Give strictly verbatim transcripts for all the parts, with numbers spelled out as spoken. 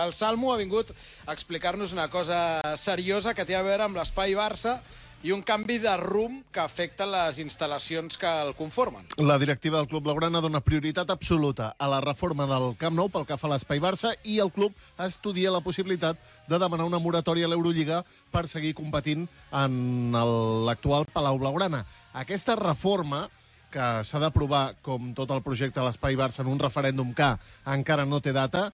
El Salmo ha vingut a explicar-nos una cosa seriosa que té a veure amb l'Espai Barça i un canvi de rumb que afecta les instal·lacions que el conformen. La directiva del Club Blaugrana dona prioritat absoluta a la reforma del Camp Nou pel que fa a l'Espai Barça i el club estudia la possibilitat de demanar una moratòria a l'Eurolliga per seguir competint en l'actual Palau Blaugrana. Aquesta reforma, que s'ha d'aprovar, com tot el projecte de l'Espai Barça, en un referèndum que encara no té data,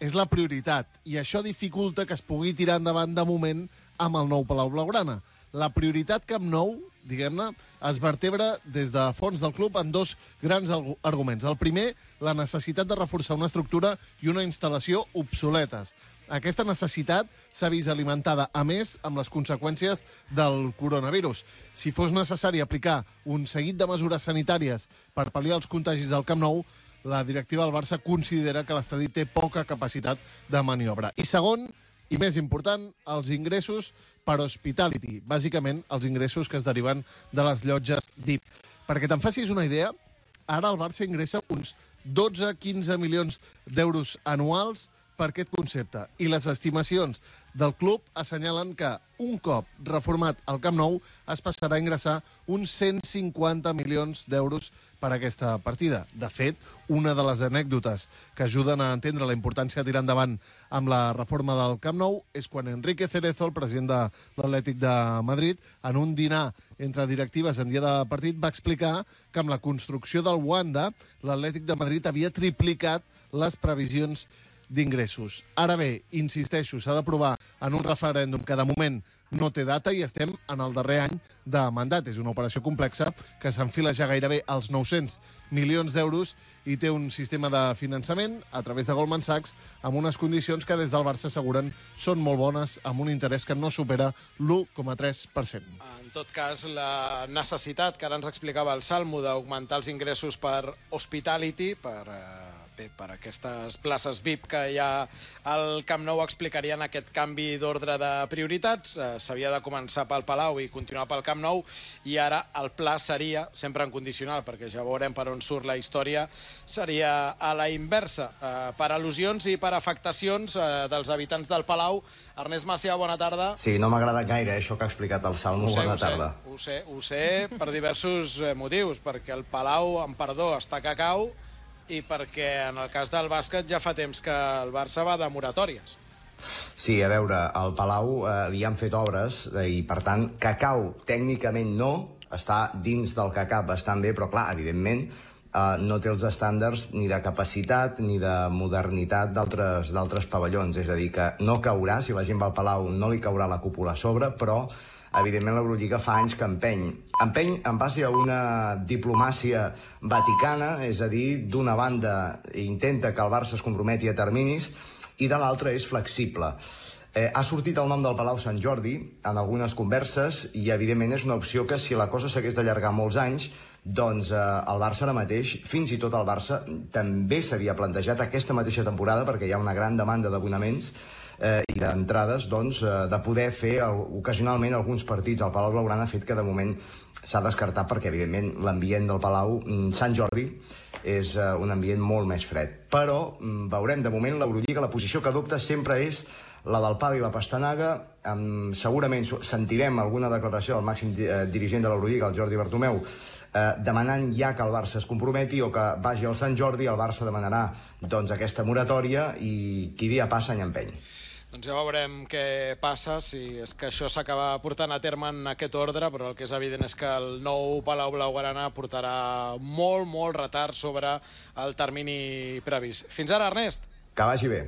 és la prioritat, i això dificulta que es pugui tirar endavant de moment amb el nou Palau Blaugrana. La prioritat Camp Nou, diguem-ne, es vertebra des de fons del club en dos grans arguments. El primer, la necessitat de reforçar una estructura i una instal·lació obsoletes. Aquesta necessitat s'ha vist alimentada, a més, amb les conseqüències del coronavirus. Si fos necessari aplicar un seguit de mesures sanitàries per pal·liar els contagis del Camp Nou, la directiva del Barça considera que l'estadi té poca capacitat de maniobra. I segon, i més important, els ingressos per hospitality. Bàsicament, els ingressos que es deriven de les llotges V I P. Perquè te'n facis una idea, ara el Barça ingressa uns dotze a quinze milions d'euros anuals per aquest concepte. I les estimacions del club assenyalen que un cop reformat el Camp Nou es passarà a ingressar uns cent cinquanta milions d'euros per aquesta partida. De fet, una de les anècdotes que ajuden a entendre la importància de tirar endavant amb la reforma del Camp Nou és quan Enrique Cerezo, el president de l'Atlètic de Madrid, en un dinar entre directives en dia de partit, va explicar que amb la construcció del Wanda, l'Atlètic de Madrid havia triplicat les previsions d'ingressos. Ara bé, insisteixo, s'ha d'aprovar en un referèndum que de moment no té data i estem en el darrer any de mandat. És una operació complexa que s'enfila ja gairebé als nou-cents milions d'euros i té un sistema de finançament a través de Goldman Sachs amb unes condicions que des del Barça asseguren són molt bones, amb un interès que no supera l'u coma tres per cent. En tot cas, la necessitat que ara ens explicava el Salmo d'augmentar els ingressos per hospitality, per... Eh... Bé, per aquestes places V I P que hi ha al Camp Nou explicarien aquest canvi d'ordre de prioritats. Eh, S'havia de començar pel Palau i continuar pel Camp Nou, i ara el pla seria, sempre en condicional, perquè ja veurem per on surt la història, seria a la inversa. Eh, per al·lusions i per afectacions eh, dels habitants del Palau. Ernest Macià, bona tarda. Sí, no m'ha agradat gaire, eh, això que ha explicat el Salmo. Ho sé, bona ho sé, tarda. Ho sé, ho sé per diversos eh, motius, perquè el Palau, amb perdó, està que cau, i perquè en el cas del bàsquet ja fa temps que el Barça va de moratòries. Sí, a veure, al Palau eh, li han fet obres eh, i, per tant, que cau tècnicament no, està dins del que cap bastant bé, però, clar, evidentment, eh, no té els estàndards ni de capacitat ni de modernitat d'altres d'altres pavellons. És a dir, que no caurà, si la gent va al Palau no li caurà la cúpula a sobre, però evidentment l'Eurolliga fa anys que empeny. Empeny en base a una diplomàcia vaticana, és a dir, d'una banda intenta que el Barça es comprometi a terminis i de l'altra és flexible. Eh, ha sortit el nom del Palau Sant Jordi en algunes converses i evidentment és una opció que si la cosa s'hagués d'allargar molts anys, doncs eh, el Barça ara mateix, fins i tot el Barça, també s'havia plantejat aquesta mateixa temporada, perquè hi ha una gran demanda d'abonaments eh, i d'entrades, doncs, eh, de poder fer el, ocasionalment alguns partits al Palau Blaugrana, fet que de moment s'ha descartat perquè, evidentment, l'ambient del Palau Sant Jordi és eh, un ambient molt més fred. Però veurem, de moment, l'Eurolliga, la posició que adopta sempre és la del pal i la pastanaga. Um, segurament sentirem alguna declaració del màxim eh, dirigent de l'Eurolliga, el Jordi Bartomeu, eh, demanant ja que el Barça es comprometi o que vagi al Sant Jordi. El Barça demanarà doncs, aquesta moratòria i qui dia passa any empeny. Doncs ja veurem què passa, si és que això s'acaba portant a terme en aquest ordre, però el que és evident és que el nou Palau Blaugrana portarà molt, molt retard sobre el termini previst. Fins ara, Ernest. Que vagi bé.